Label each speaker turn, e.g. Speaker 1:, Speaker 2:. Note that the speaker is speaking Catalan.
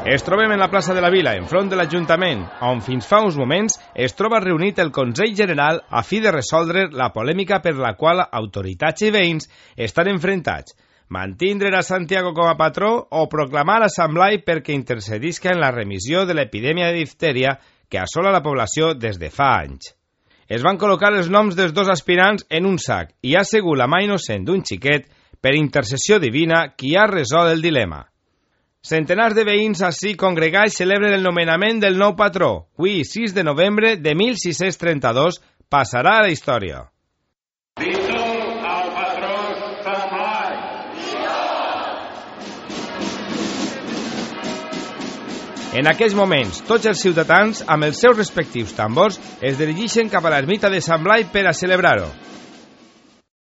Speaker 1: Es trobem en la plaça de la Vila, enfront de l'Ajuntament, on fins fa uns moments es troba reunit el Consell General a fi de resoldre la polèmica per la qual autoritats i veïns estan enfrontats. Mantindre a Santiago com a patró o proclamar a Sant Blai perquè intercedisca en la remissió de l'epidèmia de diftèria que assola la població des de fa anys. Es van col·locar els noms dels dos aspirants en un sac i ha sigut la mà innocent d'un xiquet, per intercessió divina, qui ha resolt el dilema. Centenars de veïns ací congregats celebren el nomenament del nou patró. Avui, 6 de novembre de 1632, passarà a la història.
Speaker 2: Vingut al patró Sant Blai!
Speaker 1: En aquells moments, tots els ciutadans, amb els seus respectius tambors, es dirigeixen cap a l'ermita de Sant Blai per a celebrar-ho.